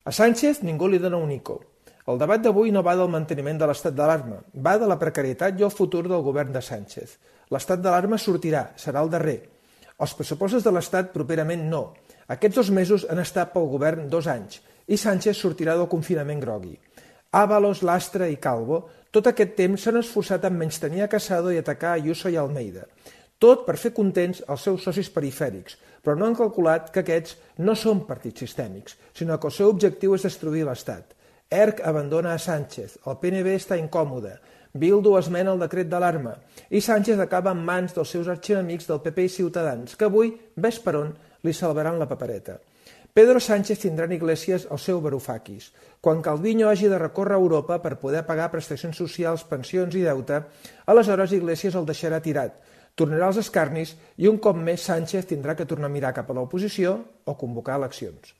A Sánchez ningú li dona un ico. El debat d'avui no va del manteniment de l'estat d'alarma, va de la precarietat i el futur del govern de Sánchez. L'estat d'alarma sortirà, serà el darrer. Els pressupostos de l'Estat properament no. Aquests 2 mesos han estat pel govern 2 anys i Sánchez sortirà del confinament grogui. Ábalos, Lastra i Calvo, tot aquest temps s'han esforçat en menystenir a Casado i atacar Ayuso i Almeida. Tot per fer contents els seus socis perifèrics, però no han calculat que aquests no són partits sistèmics, sinó que el seu objectiu és destruir l'Estat. ERC abandona a Sánchez, el PNB està incòmode, Bildu esmena el decret d'alarma i Sánchez acaba en mans dels seus arxienemics del PP i Ciutadans, que avui, ves per on, li salvaran la papereta. Pedro Sánchez tindrà en Iglesias el seu varoufakis. Quan Calviño hagi de recórrer a Europa per poder pagar prestacions socials, pensions i deute, aleshores Iglesias el deixarà tirat, tornarà als escarnis i un cop més Sánchez tindrà que tornar a mirar cap a l'oposició o convocar eleccions.